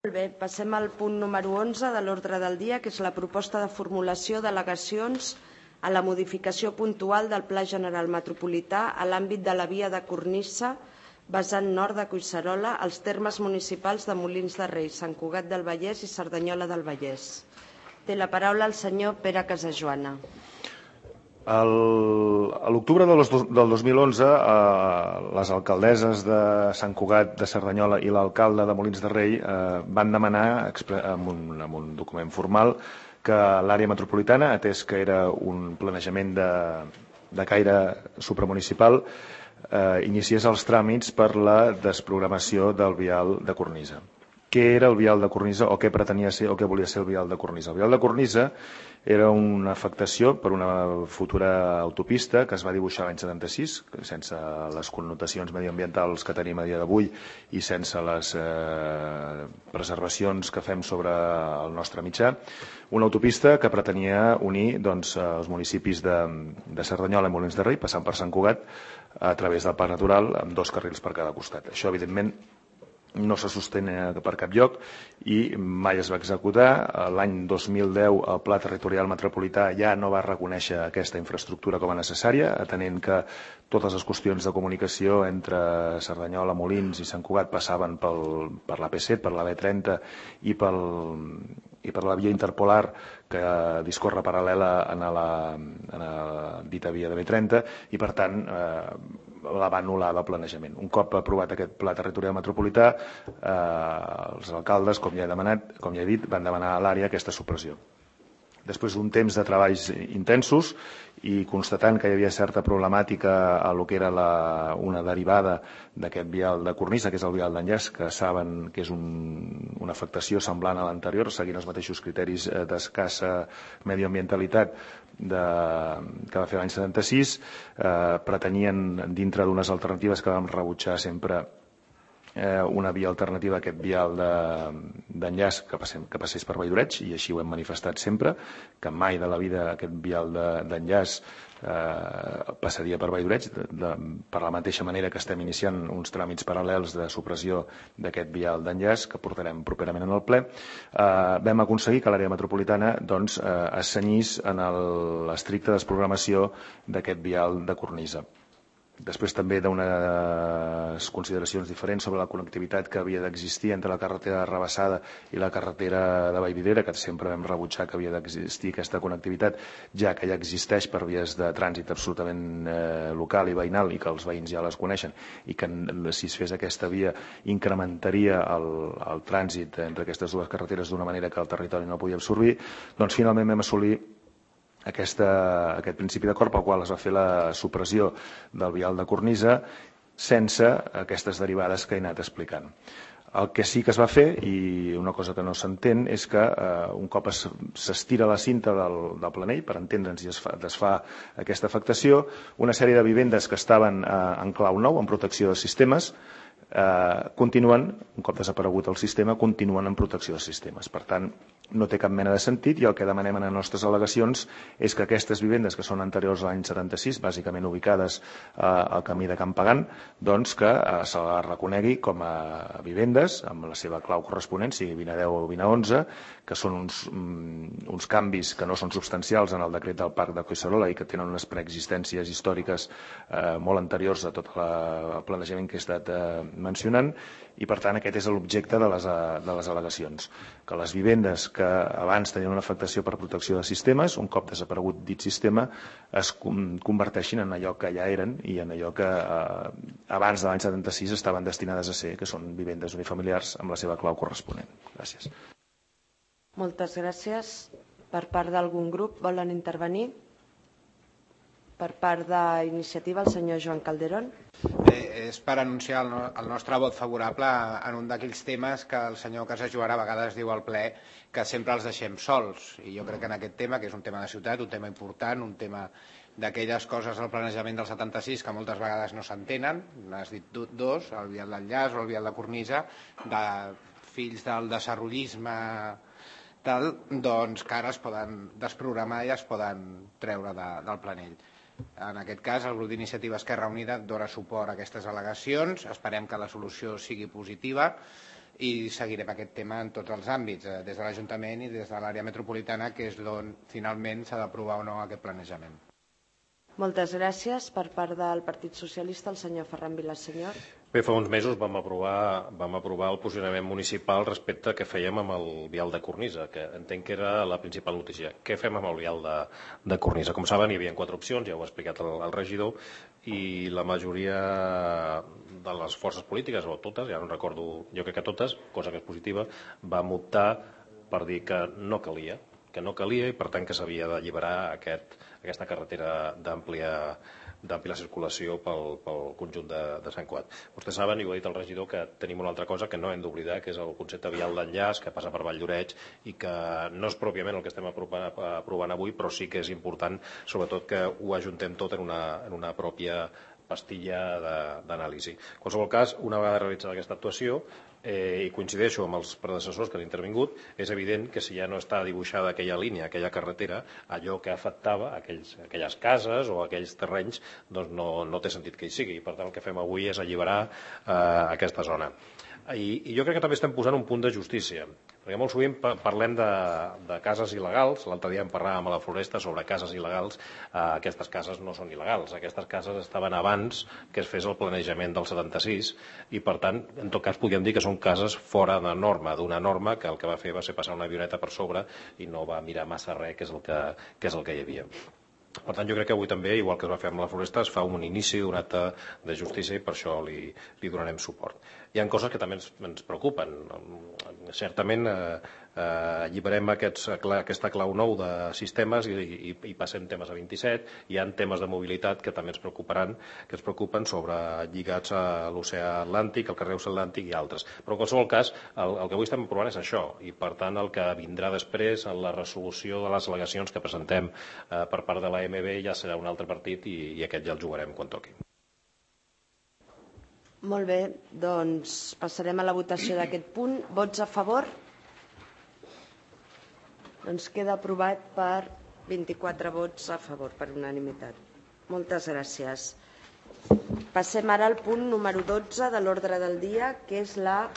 Molt bé, passem al punt número 11 de l'ordre del dia, que és la proposta de formulació d'al·legacions a la modificació puntual del Pla General Metropolità a l'àmbit de la via de cornisa vessant nord de Collserola als termes municipals de Molins de Rei, Sant Cugat del Vallès i Cerdanyola del Vallès. Té la paraula el senyor Pere Casajoana. A l'octubre del 2011, les alcaldesses de Sant Cugat de Cerdanyola i l'alcalde de Molins de Rei van demanar, amb un document formal, que l'àrea metropolitana, atès que era un planejament de caire supramunicipal, iniciés els tràmits per la desprogramació del vial de cornisa. Què era el vial de cornisa o què pretenia ser o què volia ser el vial de cornisa? El vial de cornisa era una afectació per una futura autopista que es va dibuixar l'any 76, sense les connotacions mediambientals que tenim a dia d'avui i sense les preservacions que fem sobre el nostre mitjà. Una autopista que pretenia unir els municipis de Cerdanyola i Molins de Rei, passant per Sant Cugat, a través del Parc Natural, amb 2 carrils per cada costat. Això, evidentment, no se sostén per cap lloc i mai es va executar. L'any 2010 el Pla Territorial Metropolità ja no va reconèixer aquesta infraestructura com a necessària, atenent que totes les qüestions de comunicació entre Cerdanyola, Molins i Sant Cugat passaven per l'AP7, per la B30 i per la via interpolar que discorre paral·lela a la dita via de B30 i, per tant, la va anul·lar del planejament. Un cop aprovat aquest Pla Territorial Metropolità, els alcaldes, com ja he dit, van demanar a l'àrea aquesta supressió. Després d'un temps de treballs intensos i constatant que hi havia certa problemàtica a lo que era una derivada d'aquest vial de cornisa, que és el vial d'enllaç, que saben que és una afectació semblant a l'anterior, seguint els mateixos criteris d'escassa medioambientalitat que va fer l'any 76, pretenien, dintre d'unes alternatives que vam rebutjar sempre, una via alternativa a aquest vial d'enllaç que passés per Valldoreig, i així ho hem manifestat sempre, que mai de la vida aquest vial d'enllaç passaria per Valldoreig, per la mateixa manera que estem iniciant uns tràmits paral·lels de supressió d'aquest vial d'enllaç que portarem properament en el ple. Vam aconseguir que l'àrea metropolitana es cenyís en l'estricta desprogramació d'aquest vial de cornisa. Després també d'unes consideracions diferents sobre la connectivitat que havia d'existir entre la carretera de Rabassada i la carretera de Vallvidrera, que sempre vam rebutjar que havia d'existir aquesta connectivitat, ja que ja existeix per vies de trànsit absolutament local i veïnal i que els veïns ja les coneixen, i que si es fes aquesta via incrementaria el trànsit entre aquestes dues carreteres d'una manera que el territori no podia absorbir. Doncs finalment vam assolir aquest principi d'acord pel qual es va fer la supressió del vial de cornisa sense aquestes derivades que he anat explicant. El que sí que es va fer, i una cosa que no s'entén, és que un cop s'estira la cinta del planell, per entendre'ns, i es desfà aquesta afectació, una sèrie de vivendes que estaven en clau nou, en protecció de sistemes, continuen, un cop desaparegut el sistema, continuen en protecció de sistemes. Per tant, no té cap mena de sentit, i el que demanem en les nostres al·legacions és que aquestes vivendes que són anteriors a l'any 76, bàsicament ubicades al camí de Can Pagant, doncs que se les reconegui com a vivendes amb la seva clau corresponent, sigui 2010 o 2011, que són uns canvis que no són substancials en el decret del Parc de Collserola i que tenen unes preexistències històriques molt anteriors a tot el planejament que he estat mencionant, i per tant aquest és l'objecte de les al·legacions, que les vivendes que abans tenien una afectació per protecció de sistemes, un cop desaparegut dit sistema, es converteixin en allò que ja eren i en allò que abans de l'any 76 estaven destinades a ser, que són vivendes unifamiliars amb la seva clau corresponent. Gràcies. Moltes gràcies. Per part d'algun grup volen intervenir? Per part d'Iniciativa, el senyor Joan Calderón. És per anunciar el nostre vot favorable en un d'aquells temes que el senyor Casajoana a vegades diu al ple que sempre els deixem sols. I jo crec que en aquest tema, que és un tema de ciutat, un tema important, un tema d'aquelles coses del planejament del 76 que moltes vegades no s'entenen, n'has dit dos, el vial d'enllaç o el vial de cornisa, de fills del desarrollisme tal, doncs que ara es poden desprogramar i es poden treure del planell. En aquest cas, el grup d'Iniciativa Esquerra Unida dona suport a aquestes al·legacions. Esperem que la solució sigui positiva i seguirem aquest tema en tots els àmbits, des de l'Ajuntament i des de l'àrea metropolitana, que és on finalment s'ha d'aprovar o no aquest planejament. Moltes gràcies. Per part del Partit Socialista, el senyor Ferran Vilasenyor. Bé, fa uns mesos vam aprovar el posicionament municipal respecte a què fèiem amb el vial de cornisa, que entenc que era la principal notícia. Què fem amb el vial de cornisa? Com saben, hi havia 4 opcions, ja ho ha explicat el regidor, i la majoria de les forces polítiques, o totes, ja no recordo, jo crec que totes, cosa que és positiva, vam optar per dir que no calia i per tant que s'havia d'alliberar aquesta carretera d'àmplia circulació pel conjunt de Sant Cugat. Vostès saben, i ho ha dit el regidor, que tenim una altra cosa que no hem d'oblidar, que és el concepte vial d'enllaç que passa per Valldoreix i que no és pròpiament el que estem aprovant avui, però sí que és important, sobretot, que ho ajuntem tot en una pròpia pastilla d'anàlisi. En qualsevol cas, una vegada realitzada aquesta actuació, i coincideixo amb els predecessors que han intervingut, és evident que si ja no està dibuixada aquella línia, aquella carretera, allò que afectava aquelles cases o aquells terrenys, doncs no té sentit que hi sigui. Per tant, el que fem avui és alliberar aquesta zona. I jo crec que també estem posant un punt de justícia, perquè molt sovint parlem de cases il·legals. L'altre dia en parlàvem a la Floresta sobre cases il·legals. Aquestes cases no són il·legals, aquestes cases estaven abans que es fes el planejament del 76 i per tant, en tot cas podríem dir que són cases fora de norma, d'una norma que el que va fer va ser passar una avioneta per sobre i no va mirar massa res, que és el que hi havia. Per tant, jo crec que avui també, igual que es va fer amb la Floresta, es fa un inici d'un acte de justícia i per això li donarem suport. Hi ha coses que també ens preocupen. Certament alliberem aquesta clau nou de sistemes i passem temes a 27. Hi ha temes de mobilitat que també ens preocupen lligats a l'oceà Atlàntic, al carrer Atlàntic i altres. Però en qualsevol cas, el que avui estem aprovant és això i per tant el que vindrà després en la resolució de les al·legacions que presentem per part de l'AMB ja serà un altre partit i aquest ja el jugarem quan toqui. Molt bé, doncs passarem a la votació d'aquest punt. Vots a favor? Doncs queda aprovat per 24 vots a favor, per unanimitat. Moltes gràcies. Passem ara al punt número 12 de l'ordre del dia, que és la